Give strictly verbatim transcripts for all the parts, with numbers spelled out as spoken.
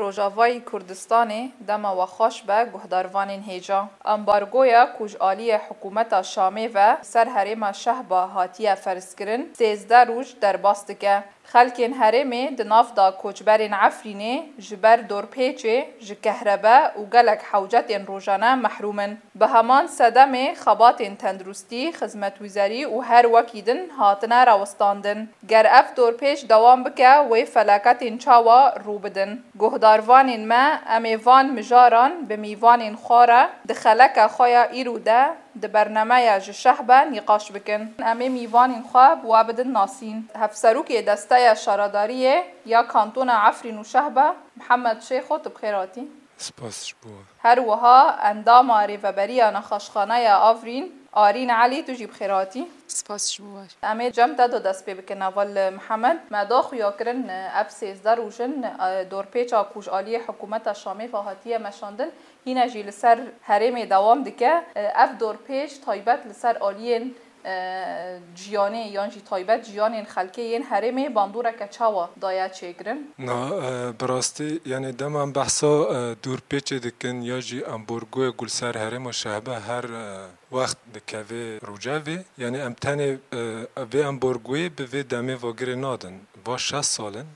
Rojavayî Kurdistanê dema we xweş be guhdarvanên hêja. Ambargoya ku ji aliyê hikûmeta Şamê ve ser herêma Şehba hatiye ferzkirin, sêzdeh roj derbas dike. Xelkên herêmê di nav de koçberên Efrînê ji ber dorpêçê, ji kehrebe û gelek hewcetên rojane mehrûm in. Bi heman sedemê xebatên tenduristî, xizmetguzerî û her wekî din hatine rawestandin. Ger ev dorpêç dewam bike, wê felaketên çawa rû bidin? Guhdarvanên me, em ê van mijaran bi mîvanên xwe re di xeleka xwe ya îro de di bernameya Ji Şehbe nîqaş bikin. Em ê mîvanên xwe bi we bidin nasîn. Hevserokê Desteya Şaredariyê ya Kantona Efrîn û Şehbe, Mihemed Şêxo, tu bi xêr hatî. Spas ji bo we. Her wiha endama Rêveberiya Nexweşxaneya Afrîn, Arîn Elî, tu jî bi xêr hatî. Spas ji bo we. Em ê cem te de dest pê bikin, heval Mihemed. Me da xuya kirin, ev sêzdeh roj in, e, dorpêça ku ji aliyê hikûmeta Şamê ve hatiye meşandin, hîne jî li ser herêmê dewam dike. E, ev dorpêç taybet li ser aliyên, e, jiyanê yan jî taybet jiyanên xelkê yên herêmê bandoreke çawa daye çêkirin? Na, e, bi rastî, yanî dema em behsa, e, dorpêçê dikin ya jî ambargoyê ku li ser herêma Şehbe her, e, wext dikeve rojevê, yanî em tenê, e, vê ambargoyê bi vê demê vagirê nadin. Va şeş sal in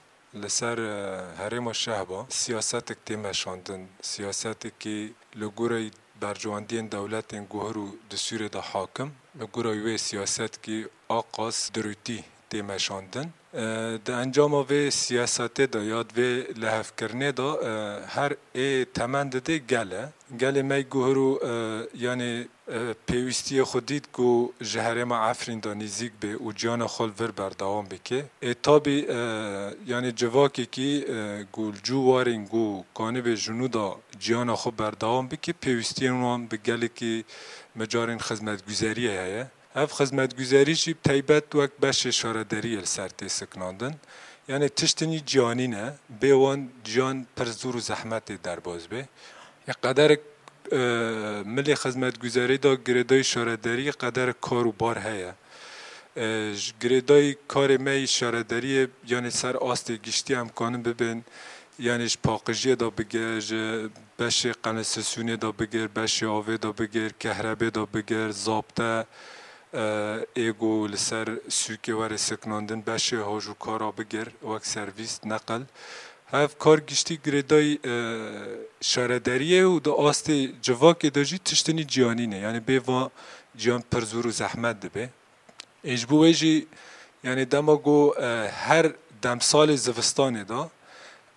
li ser, e, herêma Şehba siyasetek tê meşandin. Siyasetekî li gorî berjewendiyên dewletên guhir û di Sûriyê de hakim, li gorî wê siyasetekî a qas dirûtî tê meşandin. E, di encama vê siyasetê de ya di vê lihevkirinê de, e, her ê temen didê gel e. Gelê me yê guhir û, e, yanî, e, pêwîstiyê xwe dît ku ji herêma Efrîn de nêzîk bê û ciyana xwe li vir berdewam bike. Ê tabî, e, yanî civakekî, e, ku li cû warên ku kanibê ji nû de ciyana xwe berdewam bike, pêwîstiyên wan bi gelekî mijarên xizmetguzeriyê heye. Ev xizmetguzerî jî bi taybet wek beşê şaredariyê li ser tê siknandin. Yanî tiştinî ciyanî ne, bê wan ciyan pir zor û zehmetê derbas bê. Yê qederek, e, milê xizmetguzerî de girêdayî şaredariyê qederek kar û bar heye. E, ji girêdayî karê me yî şaredariyê, yanî ser astê giştî em kanin bibên, yanî ji paqijiyê de bigir, ji beşê qenilsesûnê de bigir, beşê avê de bigir, kehrebê de bigir, zabte, e, ê ku li ser sûkê were siknandin, beşê haj û kara bigir, wek servîs, neqil. Hev kar giştî girêdayî, e, şaredariyê û di astê civakê de jî tiştinî ciyanî ne. Yanî bê va ciyan pir zor û zehmet dibe. Ê ji bo wê jî, yanî dema ku, e, her demsalê zivistanê de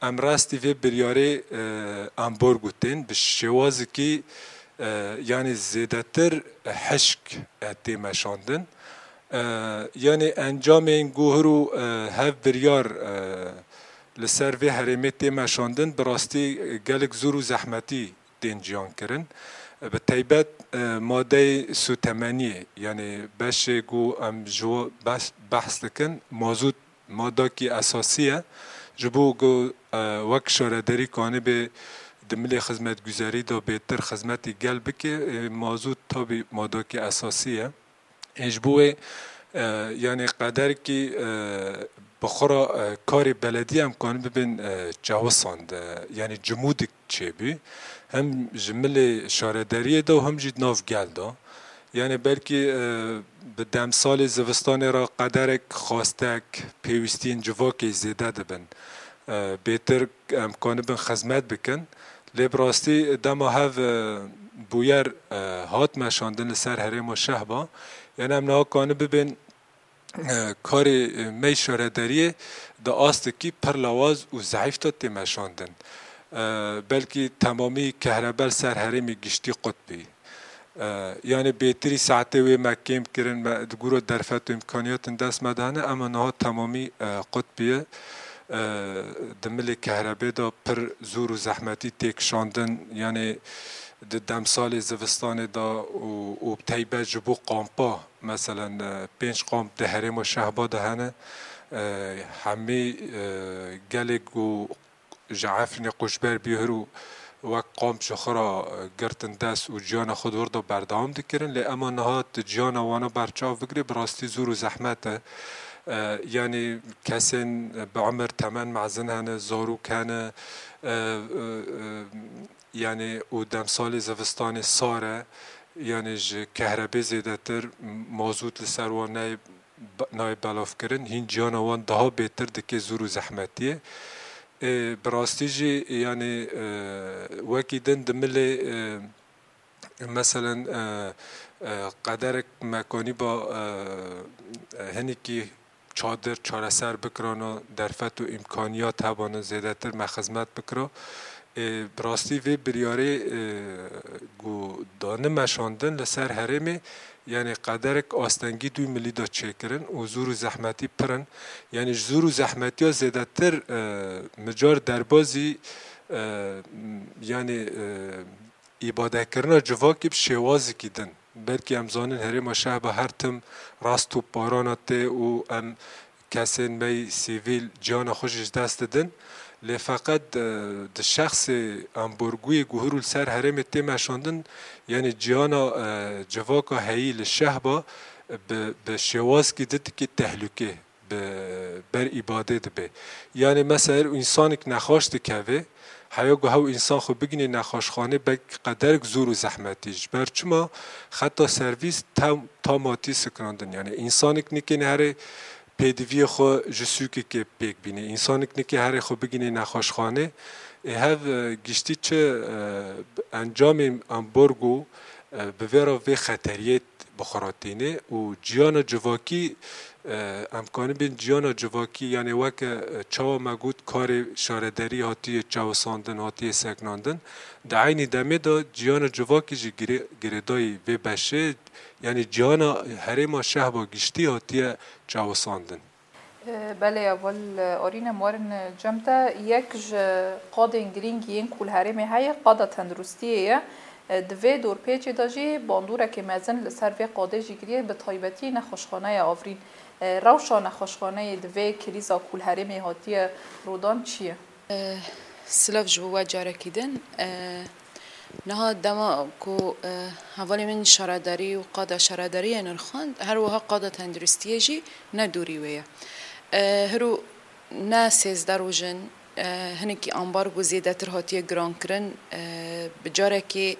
em rastî vê biryarê, e, ambargo tên bi şêwazekî, e, yanî zêdetir hişk, e, tê meşandin. E, yanî encamên guhir û, e, hev biryar, e, li ser vê herêmê tê meşandin, bi rastî gelek zor û zehmetî tên ciyan kirin. Bi taybet, e, madeyê sûtemeniyê, yanî beşê ku em ji we behs, behs dikin, mazût madakî esasî ye. Ji bo ku, e, wek şaredarî kanibê di milê xizmetguzerî de bêtir xizmetî gel bike, e, mazût tabî madakî esasî ye. Ê ji bo wê, e, yanî qederkî, e, bi xwe re, e, karê belediyê em kanin bibên, e, çewisand, e, yanî cimûdik çêbû. Hem ji milê şaredariyê de û hem jî di nav gel de. Yanî belkî, e, bi demsalê zivistanê re qederek xwastek, pêwîstiyên civakê zêde dibin. E, bêtir em kanibin xizmet bikin. Lê bi rastî dema hev, e, bûyer, e, hat meşandin li ser herêma Şehba, yanî em niha kanibibên, e, karê, e, me yî şaredariyê di astekî pir lawaz û zeîf de tê meşandin. E, belkî temamî kehrebe li ser herêmê giştî qut bî. E, yanî bêtirî saetê wê me kêm kirin, me di gora derfet û îmkaniyatên dest me de hene, ema niha temamî, e, qut bûye. E, di milê kehrebê de pir zor û zehmetî tê kişandin, yanî di demsalê zivistanê de û, û bi taybet ji bo kampa, meselen, e, pênc kamp di herêma Şehba de hene. E, hemî, e, gelê ku ji Efrînê koçber bûye hir û wek kamp ji xwe re, e, girtin dest û ciyana xwe di wir de berdewam dikirin. Lê ema niha tu ciyana wana berçav bigirî, bi rastî zor û zehmet e. E, yanî kesên bi emir temen mezin hene, zarok hene, E, e, e, yani û demsalê zivistanê sar e, yani ji kehrebê zêdetir mazût li ser wan nayê, nayê belavkirin, hîn ciyana wan daha bêtir dike zûr û zehmetiyê. E, bi rastî jî yani, e, wekî din di milê, e, meselen, e, e, qederek me kanîba, e, e, hinekî çadir çareser bikirana, derfet û îmkaniyat hebana zêdetir me xizmet bikira. Ê, bi rastî vê biryarê, ê, ku dane meşandin li ser herêmê, yani qederek astengî dû milî de çêkirin û zûr û zehmetî pir in. Yani ji zûr û zehmetiya zêdetir, e, micar derbazî, e, yani, e, îbadekirina civakî bi şêwazekî din. Belkî em zanin herêma Şehba her tim rast û parana tê û em kesên me yî sivîl ciyana xwe jî ji dest didin. Lê feqet, e, di şexsê amborgûyê ku hûr û li ser herêmê tê meşandin, yani ciyana, e, civaka heyî li Şehba bi, bi şêwazekî din dikî tehlûkê bi ber îbadê dibe. Yani mesela însanek nexweş dikeve, heya ku hew însan xwe bigînê nexweşxanê belkî qederek zûr û zehmetî. Ji ber çima xeta servîs tam, tam hatî sikinandin. Yani însanek nikê nehêrê pêdiviyê xwe ji sûkekê pêk bînê. Însanek nikê herê xwe bigînê nexweşxanê. Ê hev, e, giştî çi, e, encamê amborgo, e, bi vê re vê xeteriyê bi xwe re tîne û ciyana civakî, e, em kanibin ciyana civakî, yani weke, e, çawa me got karê şaredarî hatiye çawisandin, hatiye sekinandin, di eynî demê de ciyana civakî jî girê-, girêdayî vê beşê, yani ciyana herêma Şehba giştî hatiye çawisandin. Belê, heval Arîn, em werin cem te. Yek ji qadên girîng yên ku li herêmê heye, qada tenduristiyê ye. Di vê dorpêçê de jî bandoreke mezin li ser vê qadê jî giriye, bi taybetî nexweşxaneya Avrîn. Rewşa nexweşxaneyê di vê krîza ku li herêmê hatiye rodan çi ye? Silav ji bo we carekî din. Niha dema ku, e, hevalê min şaredarî û qada şaredariyê nirxand, her wiha qada tenduristiyê jî ne dûrî wê ye. E, hiro ne sêzdeh roj in, e, hinekî ambargo zêdetir hatiye girankirin, e, bi carekê,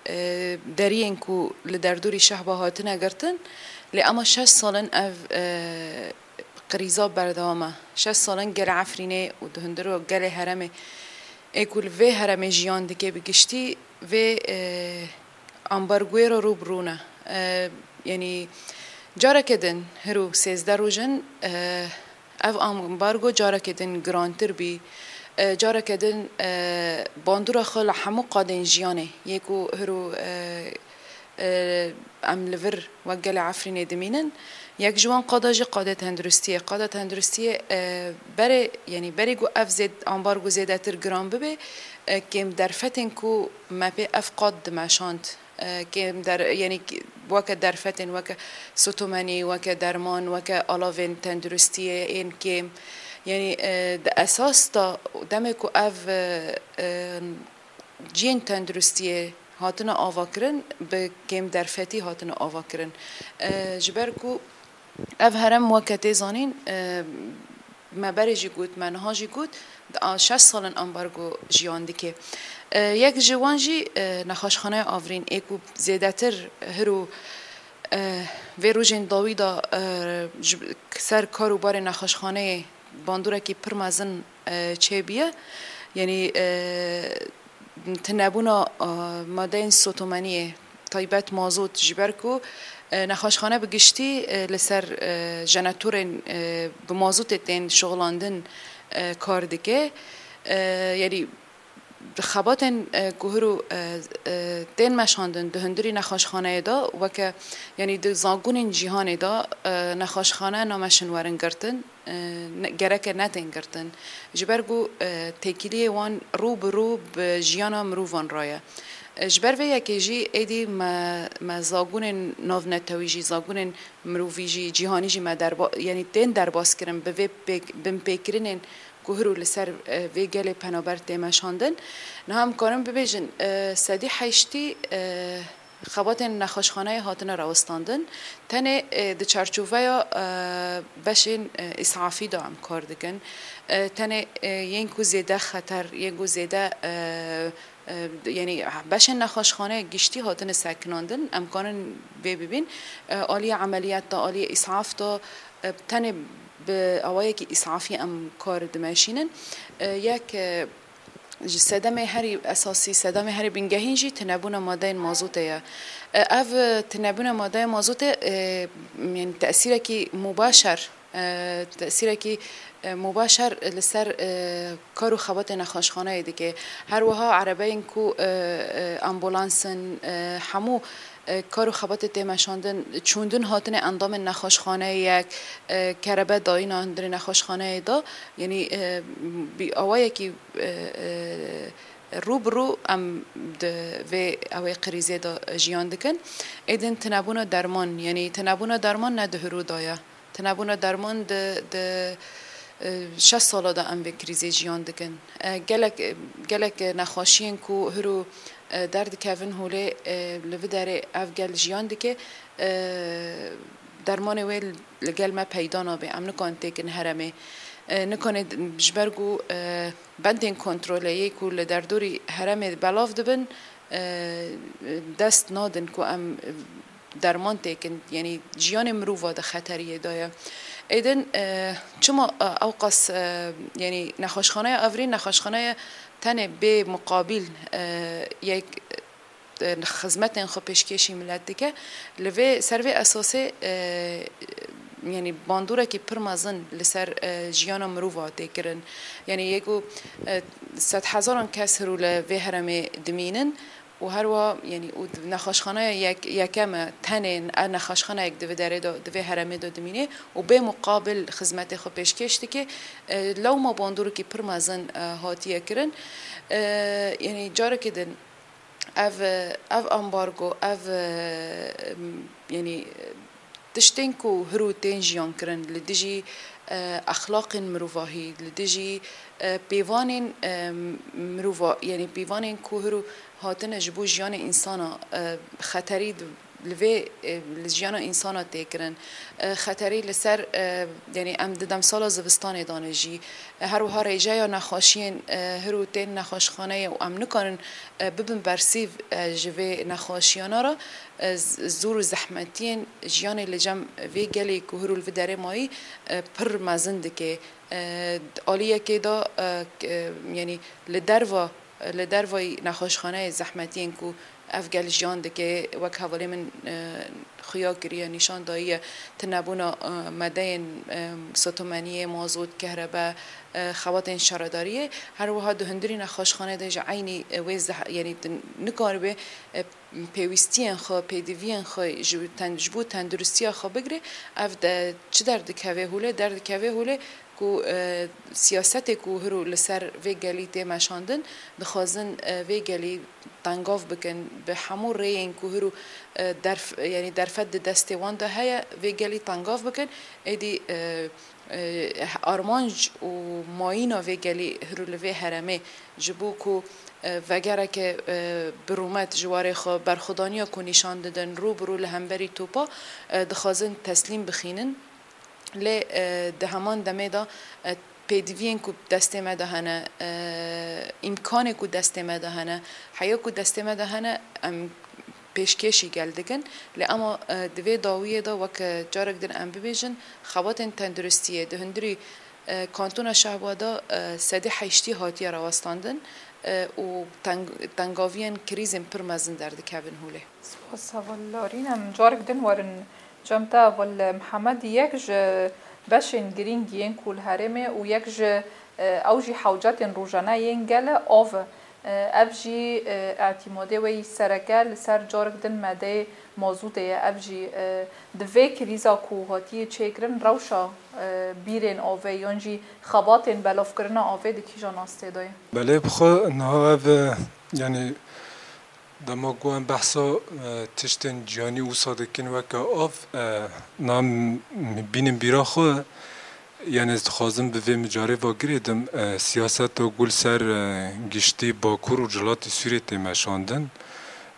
e, deriyên ku li derdorî Şehba hatine girtin, lê ema şeş sal in ev, e, krîza berdewam e. Şeş sal in gelê Efrînê û di hundir û gelê herêmê ê ku li vê herêmê jiyan dike bi giştî vê, e, ambargoyê re rû bi rû ne. E, yanî careke din hiro sêzdeh roj in, e, ev ambargo careke din girantir bî. E, careke din, e, bandora xwe li hemû qadên jiyanê yê ku hiro, e, e, em li vir wek gelê Efrînê dimînin. Yek ji wan qada jî qadê tenduristiyê. Qada tenduristiyê, e, berê, yanî berê ku ev zêd-, ambargo zêdetir giran bibe, e, kêm derfetên ku me pê ev qad dimeşand, e, kêm der-, yanî k-, weke derfetên, weke sotomenî, weke derman, weke alavên tenduristiyê ên kêm. Yanî, e, di esas de demê ku ev, e, e, cihên tenduristiyê hatine avakirin, bi kêmderfetî hatine avakirin. E, ji ber ku ev herem weke tê zanîn, e, me berê jî got, me niha jî got, di a-, şeş sal in ambargo jiyan dike. E, yek ji wan jî, e, nexweşxaneya Avrîn ê ku zêdetir hiro, e, vê rojên dawî de, e, ji ser kar û barê nexweşxaneyê bandorekî pir mezin, e, çêbûye. Yanî, e, tunebûna, e, madeyên sotomeniyê, taybet mazot, ji ber ku, e, nexweşxane bi giştî, e, li ser, e, jenetorên, e, bi mazotê tên şixulandin, e, kar dike. E, yanî, xebatên, e, ku hiro, e, e, tên meşandin di hundirî nexweşxaneyê de, weke, yanî di zagonên cîhanê de, e, nexweşxane nameşin werin girtin, e, ne, gereke netên girtin. Ji ber ku, e, têkiliyê wan rû bi rû bi jiyana mirovan re ye. E, ji ber vê yekê jî êdî me, me zagonên navnetewî jî, zagonên mirovî jî, cîhanî jî me derba-, yanî tên derbas kirin bi vê pêk-, binpêkirinên ku hiro li ser, e, vê gelê penaber tê meşandin. Niha em karin bibêjin, e, sedî heştî, e, Xebatên nexweşxaneyê hatine rawestandin. Tenê, e, di çarçoveya, e, beşên, e, îsafî de em kar dikin. E, tenê, e, yên ku zêde xeter, yên ku zêde, e, e, yanî beşên nexweşxaneyê giştî hatine sekinandin, em karin vê bibîn. E, aliyê emeliyat de, aliyê îsaf de, e, tenê bi awayekî îsafî em kar dimeşînin. E, yek, e, Ji sedemê herî esasî, sedemê herî bingehîn jî tinebûna madeyên mazotê ye. E, ev, e, tinebûna madeyên mazotê, e, yanî tesîrekî mubaşer, e, tesîrekî, e, mubaşer li ser, e, kar û xebatê nexweşxaneyê dike. Her wiha erebeyên ku, e, e, ambulans in, e, hemû, e, kar û xebatê tê meşandin, çûndin hatine endamên nexweşxaneyê yek, e, kerebe dayîna hundirê nexweşxaneyê de, yanî, e, bi awayekî e, e, rû bi rû em di vê ewê krîzê de jiyan dikin. Êdin tinebûna derman, yanî tinebûna derman ne di hirû de ye. Tinebûna derman di, di, e, şeş sala de em vê krîzê jiyan dikin. E, gelek, gelek nexweşiyên ku hirû, e, derdikevin holê, e, li vi derê ev gel jiyan dike, e, dermanê wê li gel me peyda nabe. Em nikarin têkin herêmê. E, nikanê d-, ji ber ku, e, bendên kontrolê yê ku li derdorî herêmê belav dibin, e, dest nadin ku em derman têkin. Yanî jiyanê mirova di xeteriyê de ye. Êdin, e, çima, e, ewqas, e, yanî nexweşxaneya Evrîn, nexweşxaneya tenê bê muqabil, e, yek, e, xizmetên xwe pêşkêşî milet dike. Li vê, ser vê esasê, e, yanî bandûrekî pir mezin li ser, e, jiyana mirova tê kirin. Yanî yê ku, e, sedhezaran kes hirû li vê herêmê dimînin û her wiha, yanî û nexweşxaneya yek, yekem e, tenê, e, nexweşxaneyek di vê derê de, di vê herêmê de dimîne û bê muqabil xizmetê xwe pêşkêş dike. E, lewma bandûrekî pir mezin, e, hatiye kirin. E, yanî carekê din, Ev, ev ambargo, ev, em, yanî, tiştên ku hirû tên jiyan kirin li dijî, e, exlaqên mirovahî, li dijî, e, pêvanên, e, mirova-, yanî pêvanên ku hirû hatine ji bo jiyanê însana, e, xeterî di-, li vê, e, li jiyana însana tê kirin. E, xeterî li ser, e, yanî em di demsala zivistanê de ne jî. E, her wiha rêjeya nexweşiyên, e, hirû tên nexweşxaneyê û em nikarin, e, bibin bersîv, e, ji vê nexweşiyana re, e, z-, zor û zehmetiyên jiyanê li cem vê gelê ku hirû li vê derê mayî, e, pir mezin dike. E, aliyekê de, e, k-, e, yanî li derva, li dervayî nexweşxaneyê zehmetiyên ku ev gel jiyan dike, wek hevalê min, e, xuya kiriye, nîşan dayiye, tinebûna, e, madeyên, e, sotomeniyê, mazot, kehrebe, e, xebatên şaredariyê. Her wiha di hundirî nexweşxanê de ji eynî, e, wê zeh-, yanî tu nikaribe, e, pêwîstiyên xwe, pêdiviyên xwe ji ten-, ji bo tenduristiya xwe bigire. Ev de çi derdikeve holê? Derdikeve holê ku, e, siyasetê ku hiro li ser vê gelî tê meşandin, dixwazin, e, vê gelî tengav bikin, bi hemû rêyên ku hiro, e, derf-, yanî derfet di destê wan de heye, vê gelî tengav bikin. Êdî, e, e, armanc û mayîna vê gelî hiro li vê herêmê ji bo ku, e, vegereke, e, bi rûmet ji warê xwe berxwedaniya ku nîşan didin rû bi rû li hemberî topa, e, dixwazin teslîm bixînin. Lê, e, di heman demê de, e, pêdiviyên ku destê me de hene, e, îmkanê ku destê me de hene, heya ku destê me de hene, em pêşkêşî gel dikin. Lê ema, e, di vê dawiyê de wek, e, carek din em bibêjin, xebatên tenduristiyê di hundirî, e, kantona Şehba de, e, sedî heştî hatiye rawestandin, e, û teng-, tengaviyên krîzên pir mezin derdikevin holê. Spas heval Larîn. Em carek din werin cem te heval Mihemed. Yek ji beşên girîng yên ku li herêmê û yek ji, e, ew jî hewcetên rojane yên gel e, av e. E, ev jî, e, îtîmadê wê yî sereke li ser carek din madeyê mazûtê ye. Ev jî, e, di vê krîza ku hatiye çêkirin rewşa, e, bîrên avê yan jî xebatên belavkirina avê di kîjan astê de ye? Belê bi xwe niha ev, e, yanî Dema ku em behsa, e, tiştên ciyanî wisa dikin weke av, e, niha m-, m-, bînin bîra xwe, yanî ez dixwazim bi vê mijarê ve girêdim, e, siyaseta ku li ser, e, giştî Bakur û Rojhilatê Sûriyê tê meşandin.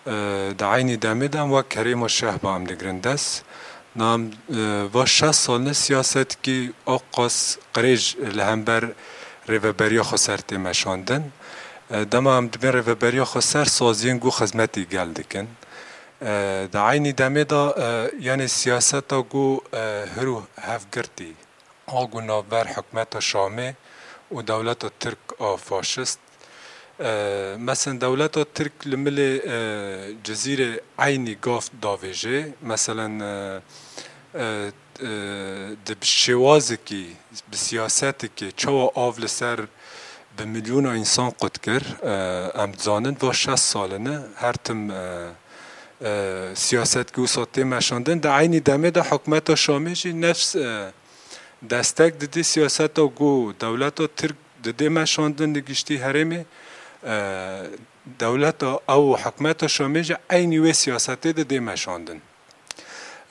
E, di eynî demê de em wek herêma Şehba em digirin dest. Nam, e, va şeş sal ne siyasetkî aqas qirêj li hember rêveberiya xweser tê meşandin. E, dema em dibên rêveberiya xweser saziyên ku xizmetî gel dikin. E, di eynî demê de, e, yanê siyaseta ku, e, hir û hevgirtî a ku navber hikûmeta Şamê û dewleta Tirk a faşist. E, mesela dewleta Tirk li milê, e, Cizîrê eynî gav davêje. Meselen, e, e, e, di şêwazekî, bi siyasetekê çawa av li ser bi milyona însan qut kir. E, em dizanin va şeş sal in e, her tim, e, e, siyasetkî wisa tê meşandin. Di eynî demê de hikûmeta Şamê jî nefs, e, destek didî siyaseta ku dewleta Tirk didê meşandin li giştî herêmê, e, dewleta ew û hikûmeta Şamê jî eynî wê siyasetê didê meşandin.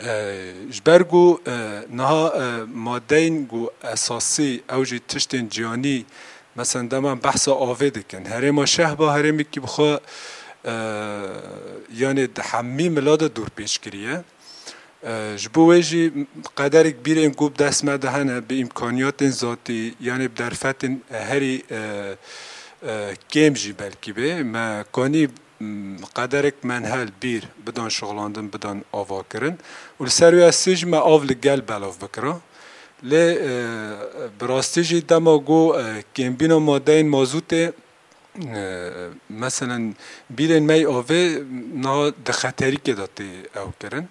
E, ji ber ku, e, niha, e, madeyên ku esasî ew jî tiştên ciyanî, mesela dema behsa avê dikin. Herêma Şehba herêmekî bi xwe, e, yanê di hemî mila de dûrpêç kiriye. E, ji bo wê jî qederek bîrên ku bi dest me de hene, bi îmkaniyatên zatî, yanê bi derfetên herî, e, e, kêm jî belkî bê, me kanî, m, qederek menhel bîr bidan şixulandin, bidan avakirin û li ser wê esê jî me av li gel belav bikira. Lê, e, bi rastî jî dema ku, e, kêmbîna madeyên mazûtê, e, meselen, bîrên me yê avê niha di xeterîkê de tê ew kirin.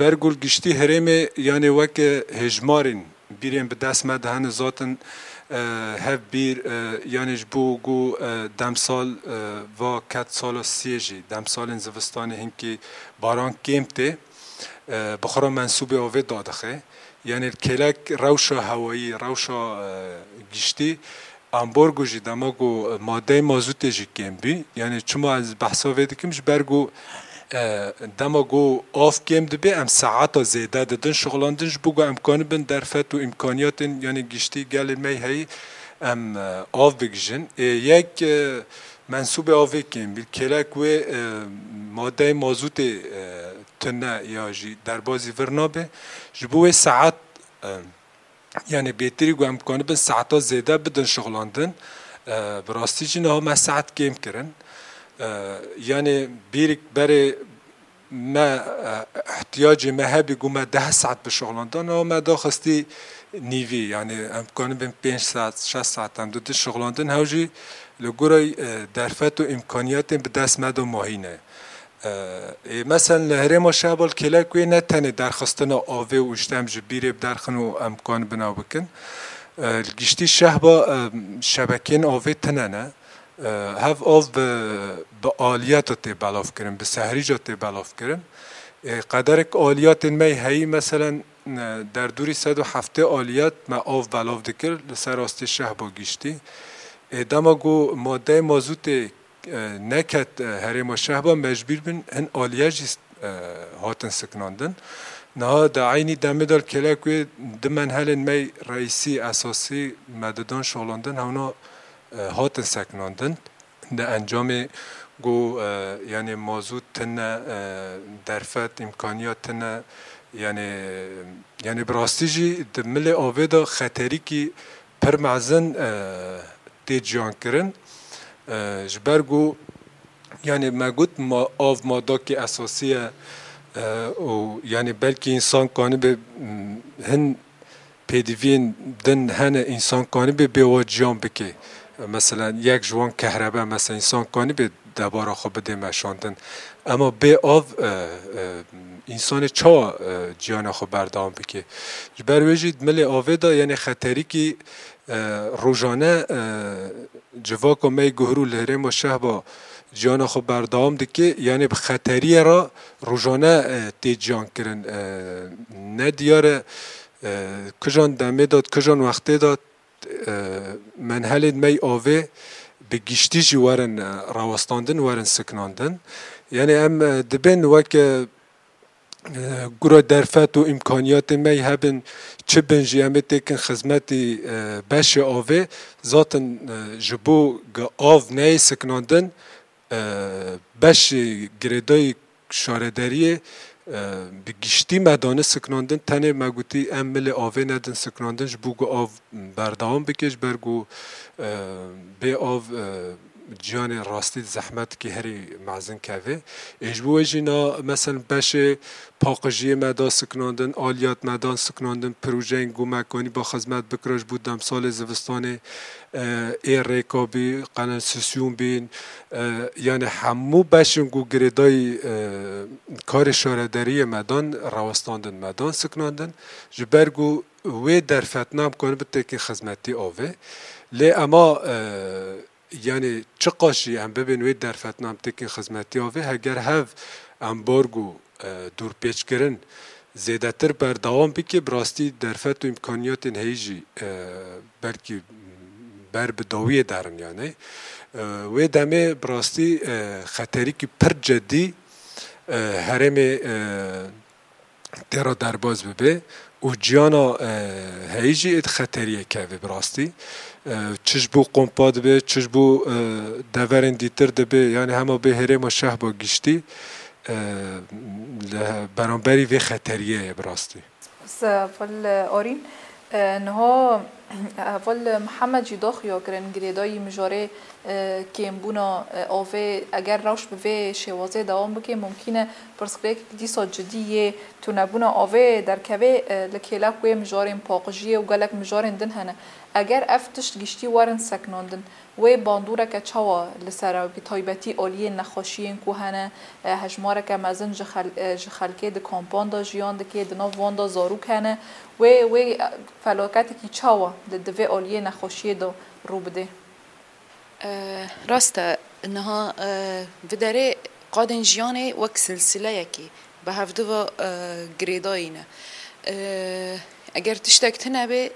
Ber ku li giştî herêmê, yanê weke hêjmarên bîrên bi dest me de hene zaten, e, hev bîr, e, yanê ji bo ku, e, demsal, e, va ket sala siyê jî, demsalên zivistanê hinkî baran kêm tê, e, bi xwe re mensûbê avê dadixe. Yanê li kêlek rewşa hewayî, rewşa, e, giştî, ambargo jî dema ku madeyê mazûtê jî kêm bî. Yanê çima ez behsa vê dikim? Ji ber ku, e, dema ku av kêm dibe, em saeta zêde didin şixulandin, ji bo ku em kanibin derfet û îmkaniyatên, yanê giştî gelên me heyî em, e, av bigijin. Ê yek, e, mensûbê avê kêm bî. Kêlek wê, e, madeyê mazûtê, e, tune ya jî derbazî vir nabe. Ji bo wê saet, e, Yanî bêtirî ku em kanibin saeta zêde bidin şixulandin, e, bi rastî jî niha me saet kêm kirin. E, yanî bîrik berê me, e, ihtiyacê me hebî ku me deh saet bişixulanda, niha me daxistî nîvî, yanî em kanibin pênc saet, şeş saet em didin şixulandin, hew jî li gorî, e, derfet û îmkaniyatên bi dest me de mahî ne. E, ê, meselen li herêma Şehba li kêlek wê ne tenê derxistina avê û îşte em ji bîrê biderxin û em kanibin ew bikin. E, li giştî Şehba, e, şebekeyên avê tune ne. E, hev av bi, bi aliyeta tê belavkirin, bi sehrîca tê belavkirin. E, qederek aliyatên me heyî, meselen, e, derdorî sed û heftê aliyet me av belav dikir li ser rastê Şehba giştî. E, dema ku madeyê mazûtê e, neket, e, herêma Şehba mecbûr bin hin aliye jî, e, hatin siknandin. Niha di eynî demê de li kêlek wê du menhelên me reîsî, esasî me didan şolandin, hewna, e, hatin seknandin. Di encamê ku, e, yanê mazût tune, e, derfet, îmkaniyat tune, yanê, yanê bi rastî jî di milê avê de xeterîkî pir mezin, e, tê ciyankirin. E, ji ber ku, yanî me got, ma-, av madakê esasî ye, e, û yanî belkî însan kanibe, m, hin pêdiviyên din hene, însan kanibe bê wa ciyan bike. E, mesela yek ji wan kehrebe, mesela însan kanibe debara xwe bidê meşandin. Ema bê av, e, e, însanê çawa, e, ciyana xwe berdewam bike? Ji ber wê jî di milê avê de, yanî xeterîkî, e, rojane, e, civaka me yê guhirû li herêma Şehba ciyana xwe berdewam dike, yanî bi xeteriyê re rojane, e, tê ciyan kirin. E, ne diyar e, e, kijan demê de, kijan wextê de, e, menhelên me yê avê bi giştî jî werin, e, rawestandin, werin siknandin. Yanî em, e, dibên weke, e, gura derfet û îmkaniyatên me hebin, çi bin jî em ê têkin xizmetî, e, beşê avê, zaten, e, ji bo ku av neyê siknandin, Beşê girêdayî şaredariyê, e, bi giştî me dane siknandin, tenê me gotî em milê avê nedin siknandin, ji bo ku av berdewam bike, ji ber ku, e, bê av, e, ciyanê rastî di zehmetikî herî mezin keve. Ê ji bo wê jî na, meselen, beşê paqijiyê me da siknandin, aliyat me dan siknandin, projeyên ku me kanî ba xizmet bikira ji bo demsalê zivistanê, e, ê rêka bî, kanalisasyon bîn, e, yanî hemû beşên ku girêdayî, e, karê şaredariyê me dan, rawestandin me dan, siknandin. Ji ber ku wê derfet nam kanibin têkên xizmetî avê. Lê ema, e, yanî çiqas jî em bibên wê derfet nam têkên xizmetî avê, heger hev embargo, e, dûrpêçkirin zêdetir berdewam bike, bi rastî derfet û îmkaniyatên heyî jî, e, belkî ber bi dawiyê derin yanî. E, wê demê bi rastî, e, xeterîkî pir cedî, e, herêmê, e, tê re derbas bibe û ciyana, e, heyî jî ê di xeteriyê keve bi rastî. E, çi ji bo kompa dibe, çi ji bo, e, deverên dîtir dibe, yanî hema bê herêma Şehba giştî, e, li beramberî vê xeteriyê ye bi rastî. Spas, heval Arîn. E, niha heval Mihemed jî da xuya kirin, girêdayî mijarê, e, kêmbûna, e, avê, eger rewş bi vê şêwazê dewam bike, mumkîn e pirsgirêkek dîsa cidî yê tunebûna avê derkeve, e, li kêlek wê mijarên paqijiyê û gelek mijarên din hene. Eger ev tişt giştî werin sekinandin, wê bandoreke çawa li ser e, bi taybetî aliyên nexweşiyên ku hene, e, hejmareke mezin ji xel-, e, ji xelkê di kampan de jiyan dike, di nav wan de zarok hene, wê, wê, e, felaketekî çawa li, di vê aliyê nexweşiyê de rû bidê? E, rast e, niha, e, bi derê qadên jiyanê wek silsileyekê bi hevdu ve, e, girêdayî ne. E, eger tiştek tune bê,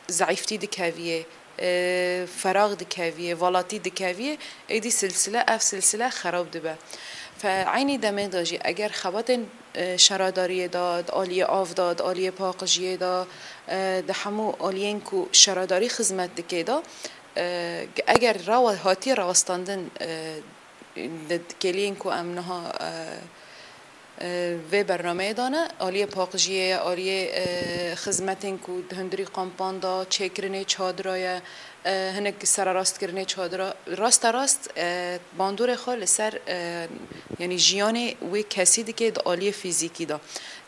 zeîftî dikeviyê, e, ferax dikeviyê, valatî dikeviyê, êdî silsile, ev silsile xerab dibe. Fe eynî demê de jî eger xebatên, e, şaradariyê de, di aliyê av de, di aliyê paqijiyê de, e, di hemû aliyên ku şaradarî xizmet dike de, e, eger rawa-, hatiye rawestandin, e, di kêliyên ku em niha, e, e, vê bernameyê de ne, aliyê paqijiyê ye, aliyê, e, xizmetên ku di hundirî kampan de çêkirinê çadira ye, e, hinek sererastkirinê çadira, rasterast, e, bandorê xwe li ser, e, yanî jiyanê wê kesî dike di aliyê fîzîkî de,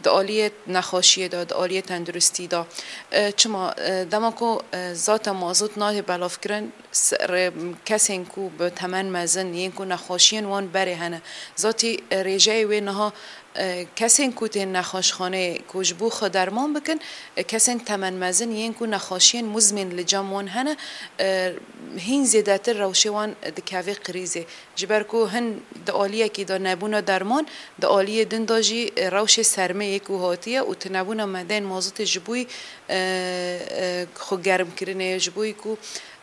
di aliyê nexweşiyê de, di aliyê tenduristî de. E, çima, e, dema ku, e, zata mazot nayê belavkirin, se-, re-, kesên ku bi temen mezin yên ku nexweşiyên wan berê hene. Zatî, e, rêjeyê wê niha, e, kesên ku tên nexweşxaneyê ku ji bo xwe derman bikin, e, kesên temen mezin yên ku nexweşiyên muzmên li cem wan hene, e, hîn zêdetir rewşê wan dikeve krîzê. Ji ber ku hin di aliyekî de nebûna derman, di aliyê din de jî, e, rewşê sermê yê ku hatiye û tunebûna medeyên mazotê ji bo, e, e, xwe germkirinê, ji bo ku,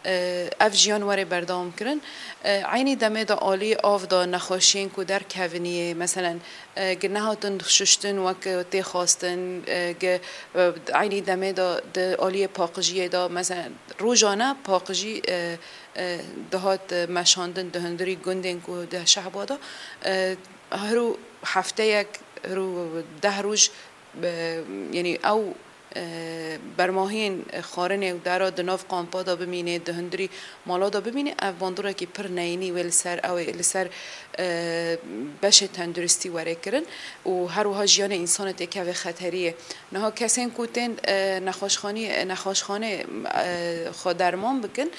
e, ev jiyan were berdewam kirin. E, eynî demê de alî av de nexweşiyên ku derkeviniye, meselen, e, gi nehatin şuştin wek tê xwestin, e, gi, e, eynî demê de di aliyê paqijiyê de, meselen, rojane paqijî, e, e, dihat, e, meşandin di hundirî gundên ku di Şehba de, e, her û hefteyek, her û deh roj, e, yanî ew, e, bermahiyên xwarinê û dera di nav kampa de bimîne, di hundirî mala de bimîne, ev bandorekî pir neyînî wê li ser ew ê, li ser, e, beşê tenduristî were kirin û her wiha jiyanê însanê têkeve xeteriyê. Niha kesên ku tên, e, nexweşxanî, e, nexweşxanê, e, xwe derman bikin,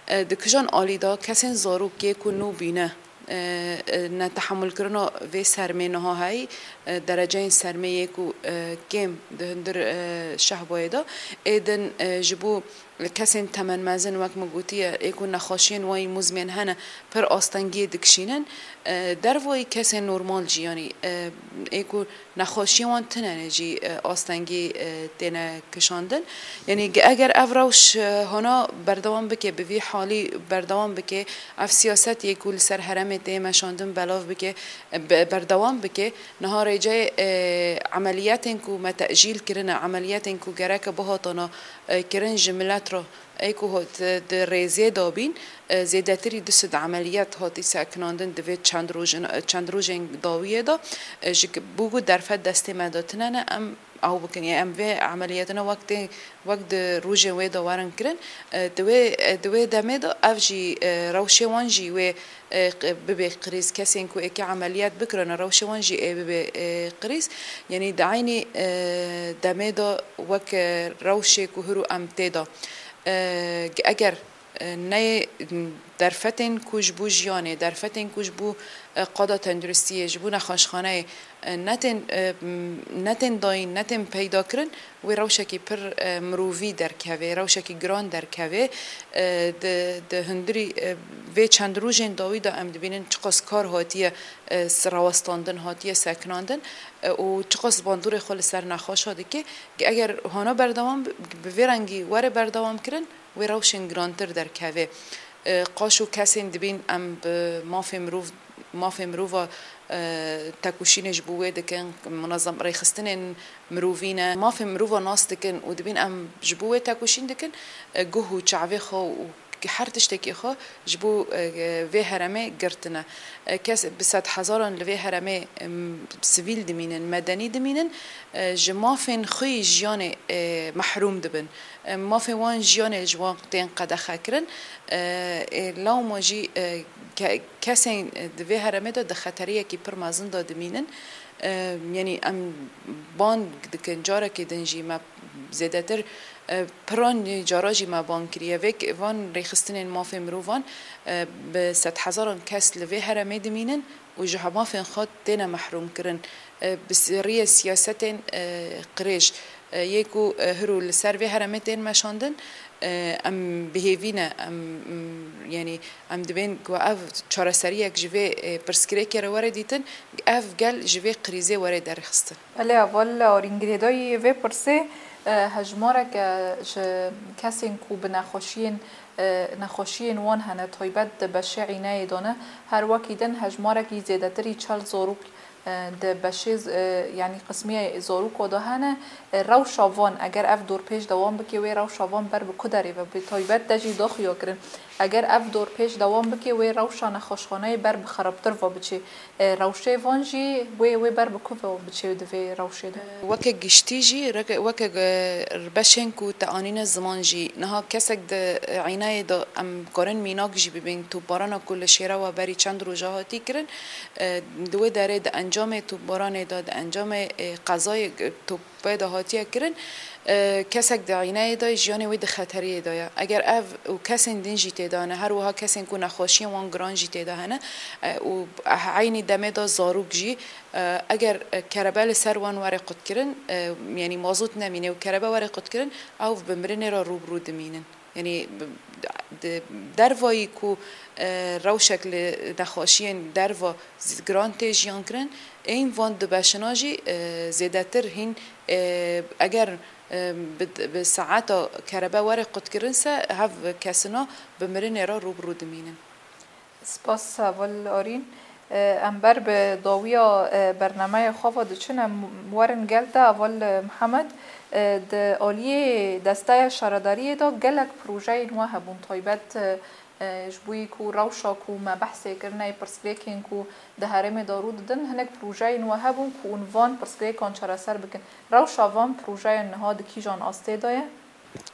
e, di kijan alî de kesên zarokê ku nû bîne, e, e, netehemûlkirina vê sermê niha heyî, e, dereceyên sermê yê ku, e, kêm di hundir, e, Şehbayê de ê din, e, ji bo kesên temenmezin, wek min gotiye, ê ku nexweşiyên wan yî muzmên hene, pir astengiyê dikişînin. E, dervayî kesên normal jî, yanî, e, ê ku nexweşiyên wan tune ne jî, e, astengî, e, têne kişandin. Yanî ge-, eger ev rewş, e, hona berdewam bike, bi vî halî berdewam bike, ev siyaset yê ku li ser herêmê tê meşandin belav bike, e, be-, berdewam bike, niha rêceyê, e, emeliyetên ku me tecîl kirine, emeliyetên ku gereke bihatana, e, kirin ji milet Ro, ê ku hot, di rêzê de bîn, e, zêdetirî du sed emeliyat hatî sekinandin di vê çend rojin, çend rojên dawiyê de, e, ji k-, bû ku derfet destê me de tine ne, em ew bikin. Yê em vê emeliyatine wek tê, wek di rojên wê de werin kirin, e, di wê, e, di wê demê de ev jî, e, rewşê wan jî wê, e, q-, bibê qirîz. Kesên ku êkê emeliyat bikirine, rewşê wan jî ê bibê, e, qirîz. Yanî di eynî, e, demê de wek, e, rewşê ku hiro em tê de, e, eger, e, neyê derfetên ku ji bo jiyanê, derfetên ku ji bo, e, qada tenduristiyê, ji bo nexweşxaneyê, e, netên, e, m-, netên dayîn, netên peyda kirin, wê rewşekî pir, e, mirovî derkeve, rewşekî giran derkeve. E, di, di hundirî, e, vê çend rojên dawî de em dibînin çiqas kar hatiye, e, s-, rawestandin, hatiye sekinandin, e, û çiqas bandorê xwe li ser nexweşa dike. Eger hana berdewam bi, bi vê rengî were berdewam kirin, wê rewşên girantir derkeve. E, qaşo kesên dibîn em bi mafê mirov, mafê mirova, e, tekoşînê ji bo wê dikin, munezem rêxistinên mirovî ne. Mafê mirova nas dikin û dibîn em ji bo wê tekoşîn dikin, e, guh û çavê xwe û her tiştekî xwe ji bo, e, vê herêmê girtine. E, kes bi sedhezaran li vê herêmê, em, sivîl dimînin, medenî dimînin, e, ji mafên xwe yî jiyanê, e, mehrûm dibin. E, mafê wan jiyanê ji wan tên qedexekirin. E, ê lawma jî, e, ke-, kesên di vê herêmê de di xeteriyekî pir mezin de dimînin. E, yanî em bang dikin, carekê din jî me zêdetir, e, piran cara jî me bang kiriye. Vê ke-, van rêxistinên mafê mirovan, e, bi sedhezaran kes li vê herêmê dimînin û ji mafên xwe têne mehrûm kirin. E, bi s-, riyê siyasetên, e, qirêj, e, yê ku, e, hiro li ser vê herêmê tên meşandin, e, em bi hêvî ne, em, m-, yanî em dibên ku ev çareseriyek ji vê, e, pirsgirêkê re were dîtin, ev gel ji vê krîzê were derxistin. Belê, heval Arîn, girêdayî vê pirsê, e, hejmarek, e, ji kesên ku bi nexweşiyên, e, nexweşiyên wan hene, taybet di beşê înayê de ne, her wekî din hejmarekî zêdetirî çel zarok, e, di beşê z-, e, yanî qismiyê zaroka de hene. E, rewşa van, eger ev dorpêç dewam bike, wê rewşa van ber bi ku derê ve, bi taybet te jî daxuya kirin. Eger ev dorpêç dewam bike, wê rewşa nexweşxaneyê ber bi xerabtir ve biçe. E, rewşê van jî wê, wê ber bi ku ve biçe di vê rewşê de? Weke giştî jî, reke-, weke, e, beşên ku te anîne ziman jî, niha kesek di, e, înayê de em karin mînak jî bibîn, topbarana ku li Şêrewa berî çend roja hatî kirin, e, di wê derê di encamê topbaranê de, di encamê, e, qezayê, e, top pê de hatiye kirin, e, kesek di înayê de jiyanê wê di xeteriyê de ye. Eger ev û kesên din jî tê de hene, her wiha kesên ku nexweşiyên wan giran jî tê de hene, e, û eynî demê de zarok jî, e, eger, e, kerebe li ser wan were qutkirin, e, yanî mazot nemîne û kerebe were qutkirin, ew bi mirinê re rû bi rû dimînin. Yanî, bi-, di dervayî ku, e, rewşek li nexweşiyên derva z-, giran tê jiyan kirin, ên van du beşina jî, e, zêdetir hîn, e, eger, e, bi, bi saeta kerebe were qutkirin se, hev kesina bi mirinê re rû bi rû dimînin. Spas, heval Arîn. E, em ber bi dawiya, e, bernameya xwe ve diçin, em werin gel te, heval Mihemed. E, di aliyê desteya şaredariyê de gelek projeyên we hebûn, taybet, e, e, ji bo yî ku rewşa ku me behsê kirine, pirsgirêkên ku di herêmê de rû didin, hinek projeyên we hebûn ku hûn van pirsgirêkan çareser bikin. Rewşa van projeyan niha di kîjan astê de ye?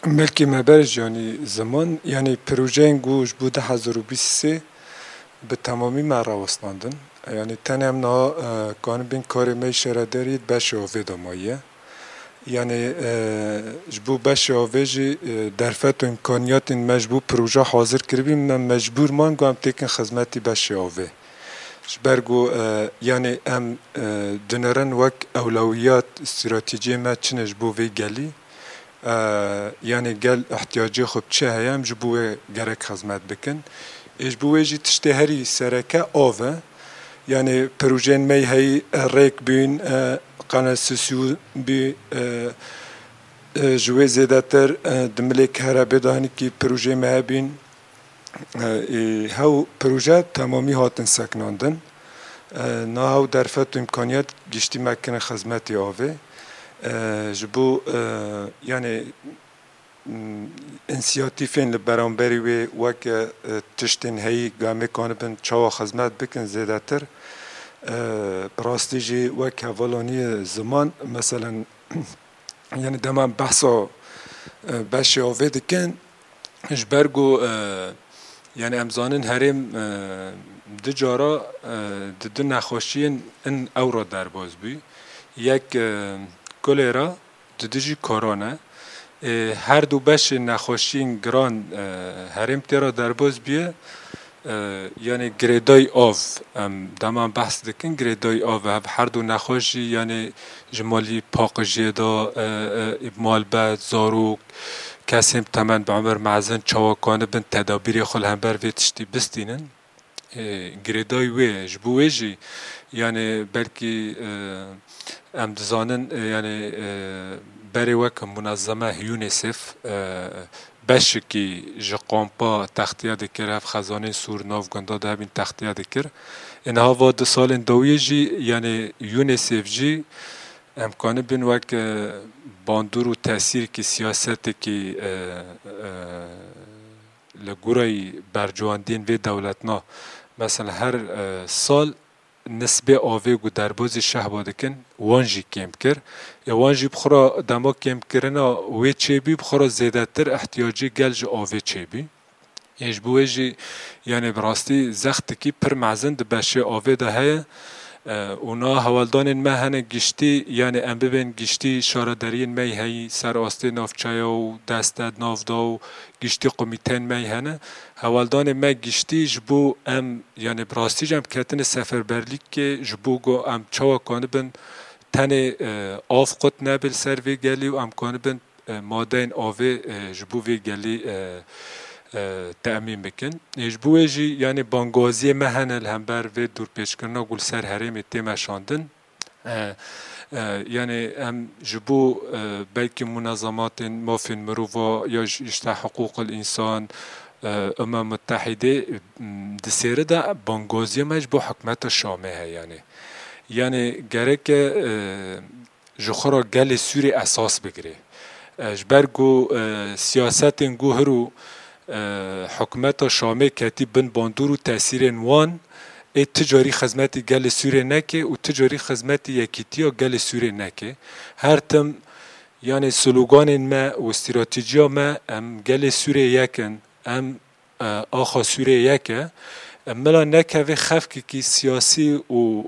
Belkî me ber ji yanî ziman, yanî projeyên ku ji bo du hezar û bîst û sê bi temamî me rawestandin. Yanî tenê em niha, e, kanibên karê me yê şaredariyê di beşê avê de maye. Yanî, e, ji bo beşê avê jî, e, derfet û îmkaniyatên me ji bo proje hazir kiribî, me mecbûr man ku em têkin xizmetî beşê avê. Ji ber ku, e, yanî em, e, dinêrin wek ewlewiyat, stratejiyê me çi ne ji bo vê gelî. E, yanî gel ihtiyacê xwe bi çi heye, em ji bo wê gerek xizmet bikin. Ê ji bo wê jî tiştê herî sereke av e. Yanî projeyên me heyî, e, rêk bûn, e, kanalisasyon bû, e, e, ji wê zêdetir, e, di milê Kerebê de hinekî projeyê me hebîn. E, ê, hew proje temamî hatin sekinandin. E, niha hew derfet û îmkaniyet giştî me kirin xizmetê avê. E, ji bo, e, yanî m, însiyatîfên li beramberî wê weke, e, tiştên heyî ku em ê kanibin çawa xizmet bikin zêdetir. E, bi rastî jî wek hevalaniyê ziman, meselen, yani dema em behsa, e, beşê avê dikin, ji ber ku, e, yani em zanin herêm, e, du cara, e, di du nexweşiyên in ew re derbas bû. Yek, e, kolera, di du jî korona. E, her du beşên nexweşiyên giran, e, herêm tê re derbas bûye. E, yani girêdayî av, em dema behs dikin, girêdayî av, ev her du nexweş jî, yani ji malî paqijiyê de, e, e, malbet, zarok, kesên temen bi umir mezin çawa kanibin tedabîrê xwe li hember vê tiştî bistînin. E, girêdayî wê ye. Ji bo wê jî, yani belkî, e, em dizanin, e, yani, e, berê wek munezeme UNICEF, e, beşekî ji kampa textiye dikir, ev xezanên sûr nav gunda de hebîn textiye dikir. Ê niha va du salên dawiyê jî, yani UNICEF jî em kanibin wek, e, bandor û tesîrkî siyasetekî, e, e, li goreyî bercewendiyên vê dewletna, mesela her, e, sal nisbê avê ku derbozî şehba dikin, wan jî kêm kir. Ya wan jî bi xwe re dema kêmkirina wê çêbî, bi xwe re zêdetir ihtiyacê gel ji avê çêbî. Ê ji bo wê jî, yani bi rastî zextekî pir mezin di beşê avê de heye. E, û na hewaldanên me hene giştî, yani em bibên giştî şaredariyên me yî heyî ser astê navçeya û deste nav da û giştî komîteyên me yî hene. Hewaldanê me giştî ji bo em, yani bi rastî jî em ketine seferberlîkê ji bo ku em çawa kanibin tenê, e, av qut nebe li ser vê gelî û em kanibin, e, madeyên avê, e, ji bo vê gelî, e, e, te'mîn bikin. Ê ji bo wê jî, yani bangaziyê me hene li hember vê dorpêçkirina ku li ser herêmê tê meşandin. E, e, yani em ji bo, e, belkî munezematên mafên mirova ya ji, işte hiqûqil însan, e, Umem Mutehîdê, m, di sêri de bangaziya me ji bo hikûmeta Şamê heye yani. Yani gereke, e, ji xwe re gelê Sûrê esas bigire. E, ji ber ku, e, siyasetên ku hiro, e, hikûmeta Şamê ketî bin bandor û tesîrên wan, ê ti carî xizmetî gelê Sûrê neke û ti carî xizmetî yekîtiya gelê Sûrê neke. Her tim, yani sloganên me û stratejiya me, em gelê Sûrê yek in, em, e, axa Sûrê yek e. Em mila nekeve xefkekî siyasî û,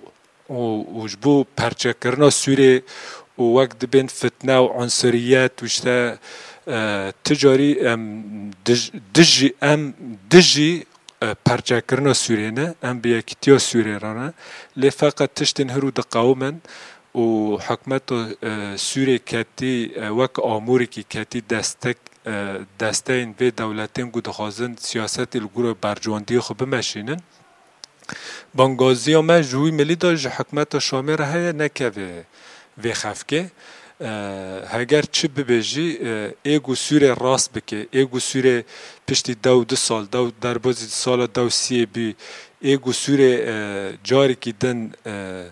û, û ji bo perçekirina Sûrê û wek dibên fitne û unsuriyet û işte, e, ti carî em dij-, dijî, em dijî, e, perçekirina Sûrê ne, em bi yekîtiya Sûrê re ne. Lê feqet tiştên hiro diqewimin û hikûmeta, e, Sûrê ketî, e, wek amûrekî ketî destek, e, desteyên vê dewletên ku dixwazin siyasetê li gorî bercewendiyê xwe bimeşînin. Bangaziya me ji wî milî de ji hikûmeta Şamê re heye, nekeve vê xefkê. E, heger çi bibe jî, e, ê ku Sûrê rast bike, ê ku Sûrê piştî dew du sal, dew derbozî sala dew siyê bî, ê ku Sûrê, e, carekî din, e,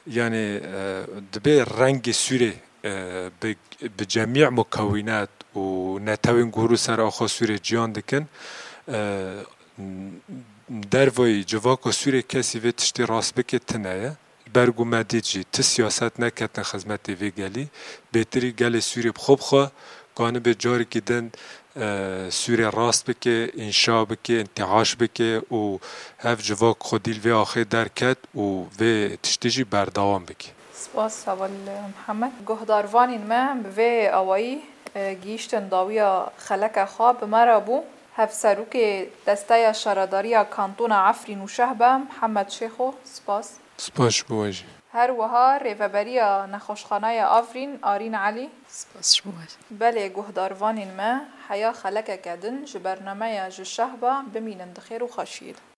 yani, e, dibe rengê Sûrê, e, bi, bi cemî mukewînet û netewên ku hiro ser axa Sûrê ciyan dikin, e, dervayî civaka Sûrê kesî vê tiştî rast bike tune ye. Ji ber ku me dît jî ti siyaset neketin xizmetê vê gelî. Bêtirî gelê Sûrê bi xwe bi xwe kanibe carekî din, e, Sûrê rast bike, înşa bike, întiaş bike û hev civak xwedî li vê axê derket û vê tiştî jî berdewam bike. Spas heval Mihemed. Guhdarvanên me bi vê awayî, e, gihîştin dawiya xeleke xwe bi me re bû. Hevserokê Desteya Şaredariya Kantona Efrîn û Şehba, Mihemed Şêxo, spas. Spas ji bo we jî. Her wiha Rêveberiya Nexweşxanaya Afrîn, Arîn Elî. Spas ji bo we jî. Belê guhdarvanên me, heya xelekeke din ji bernameya Ji Şehba bimînin di xêr û xweşiyê de.